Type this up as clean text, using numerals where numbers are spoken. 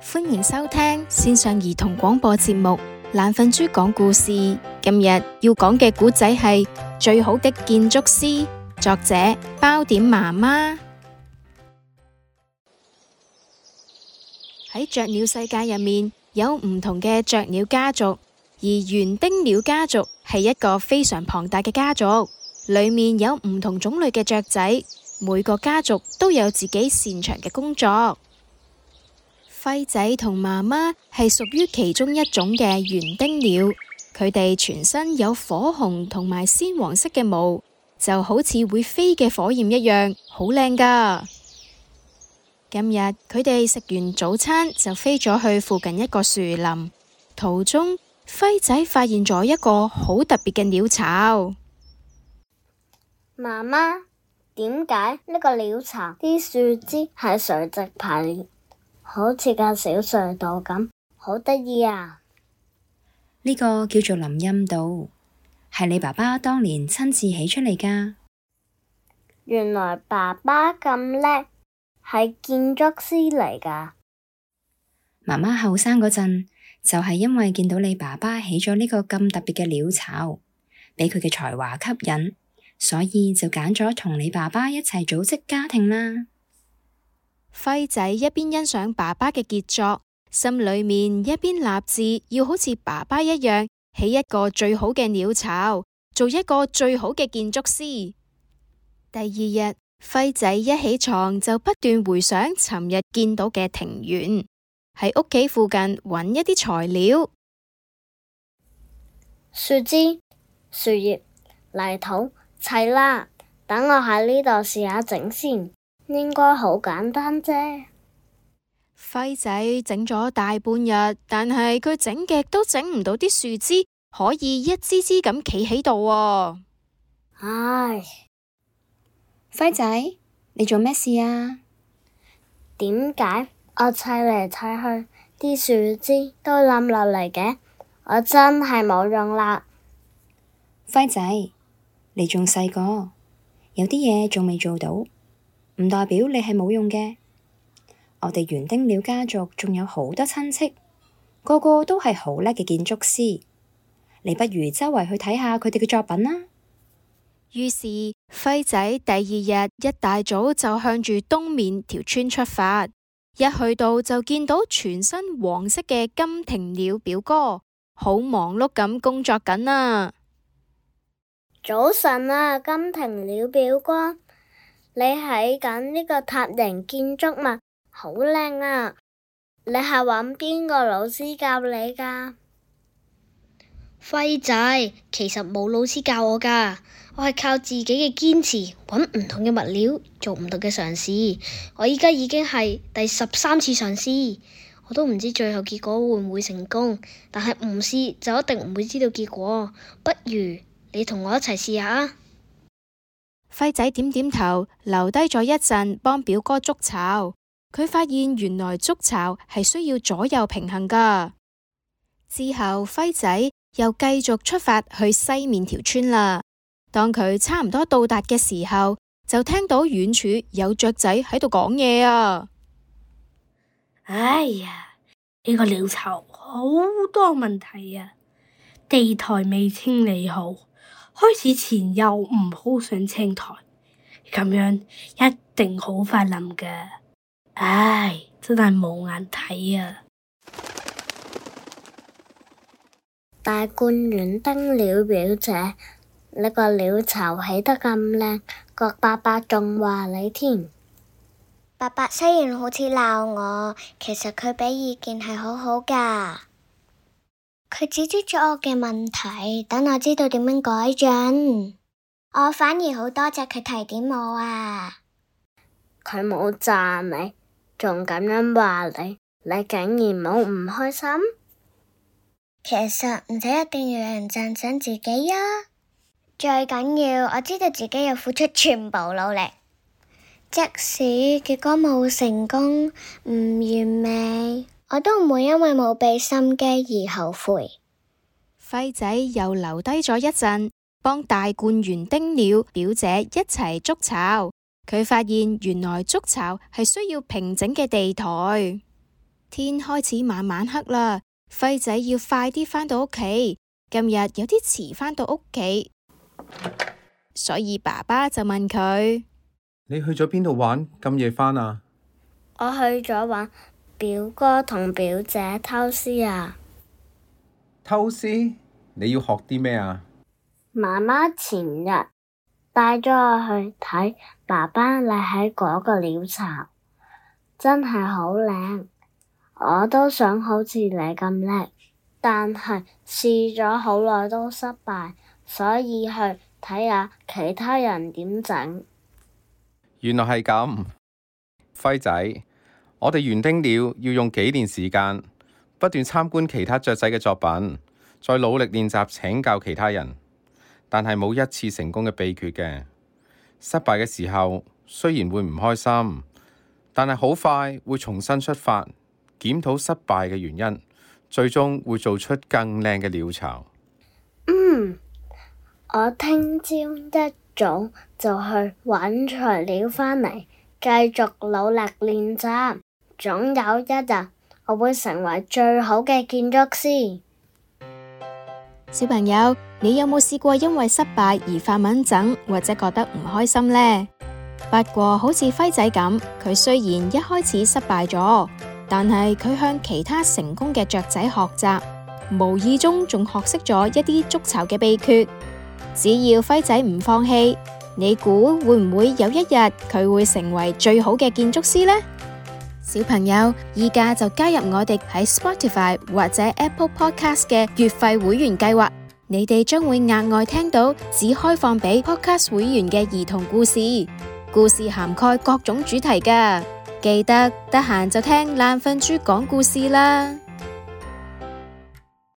歡迎收聽線上兒童廣播節目《懶瞓豬講故事》。今日要講嘅故仔係最好的建築師，作者包點媽媽。喺雀鳥世界入面，有唔同嘅雀鳥家族，而園丁鳥家族係一個非常龐大嘅家族，裏面有唔同種類嘅雀仔，每個家族都有自己擅長嘅工作。輝仔同媽媽係屬於其中一種嘅園丁鳥，佢哋全身有火紅同埋鮮黃色嘅毛，就好似會飛嘅火焰一樣，好靚㗎。今日佢哋食完早餐就飛咗去附近一個樹林，途中輝仔發現咗一個好特別嘅鳥巢。媽媽，點解呢個鳥巢啲樹枝係垂直排列，好似個小隧道咁，好得意啊！呢個叫做林蔭道，係你爸爸當年親自起出嚟㗎。原來爸爸咁叻，係建築師嚟㗎。媽媽後生嗰陣，就係因為見到你爸爸起咗呢個咁特別嘅鳥巢，俾佢嘅才華吸引，所以就揀咗同你爸爸一齊組織家庭啦。輝仔一邊欣賞爸爸嘅傑作，心裏面一邊立志要好似爸爸一樣，起一個最好嘅鳥巢，做一個最好嘅建築師。第二日，輝仔一起床就不斷回想尋日見到嘅庭園，喺屋企附近揾一啲材料，樹枝、樹葉、泥土，齊啦！等我喺呢度試下整先。應該好簡單啫。輝仔整咗大半日，但係佢整極都整唔到啲樹枝可以一支支咁企喺度喎。唉，輝仔，你做咩事啊？點解我砌嚟砌去，啲樹枝都冧落嚟嘅？我真係冇用啦。輝仔，你仲細個，有啲嘢仲未做到，唔代表你係冇用嘅。我哋園丁鳥家族仲有好多親戚，個個都係好叻嘅建築師。你不如周圍去睇下佢哋嘅作品啦。於是輝仔第二日一大早就向住東面條村出發，一去到就見到全身黃色嘅金庭鳥表哥，好忙碌咁工作緊啊！早晨啊，金庭鳥表哥。你喺緊呢個塔形建築物，好靚啊！你係揾邊個老師教你㗎？輝仔，其實冇老師教我㗎，我係靠自己嘅堅持，揾唔同嘅物料，做唔同嘅嘗試。我依家已經係第13次嘗試，我都唔知最後結果會唔會成功，但係唔試就一定唔會知道結果。不如你同我一齊試下啊！輝仔點點頭，留低咗一陣幫表哥築巢。佢發現原來築巢係需要左右平衡㗎。之後輝仔又繼續出發去西面條村啦。當佢差唔多到達嘅時候，就聽到遠處有雀仔喺度講嘢啊！哎呀，呢個鳥巢好多問題啊！地台未清理好，開始前又唔鋪上青苔，咁樣一定好快冧㗎。唉，真係冇眼睇啊！大冠園丁鳥表姐，呢個鳥巢起得咁靚，個伯伯仲話你添。伯伯雖然好似鬧我，其實佢俾意見係好好㗎。佢指出咗我嘅問題，等我知道點樣改進。我反而好多謝佢提點我啊！佢冇讚你，仲咁樣話你，你竟然冇唔開心？其實唔使一定要有人讚賞自己啊！最緊要我知道自己有付出全部努力，即使結果冇成功、唔完美，我都唔會因為冇俾心機而後悔。輝仔又留低咗一陣，幫大冠園丁鳥表姐一齊築巢。佢發現原來築巢係需要平整嘅地台。天開始慢慢黑啦，輝仔要快啲返到屋企。今日有啲遲返到屋企，所以爸爸就問佢：你去咗邊度玩？咁夜返啊？我去咗玩表哥同表姐偷師啊！偷師？你要學啲咩啊？媽媽前日帶咗我去睇爸爸你喺嗰個鳥巢，真係好靚。我都想好似你咁叻，但係試咗好耐都失敗，所以去睇下其他人點整。原來係咁，輝仔，我哋園丁鳥要用幾年時間，不斷參觀其他雀仔嘅作品，再努力練習請教其他人，但係冇一次成功嘅秘訣嘅。失敗嘅時候雖然會唔開心，但係好快會重新出發，檢討失敗嘅原因，最終會做出更靚嘅鳥巢。我聽朝一早就去揾材料返嚟，繼續努力練習。總有一日我會成為最好嘅建築師。小朋友，你有冇試過因為失敗而發蚊疹或者覺得唔開心呢？不過好似輝仔咁，佢雖然一開始失敗咗，但係佢向其他成功嘅雀仔學習，無意中仲學識咗一啲築巢嘅秘訣。只要輝仔唔放棄，你估會唔會有一日佢會成為最好嘅建築師呢？小朋友，依家就加入我哋喺 Spotify 或者 Apple Podcast 嘅月費會員計劃，你哋將會額外聽到只開放俾 Podcast 會員嘅兒童故事，故事涵蓋各種主題㗎。記得得閒就聽懶瞓豬講故事啦。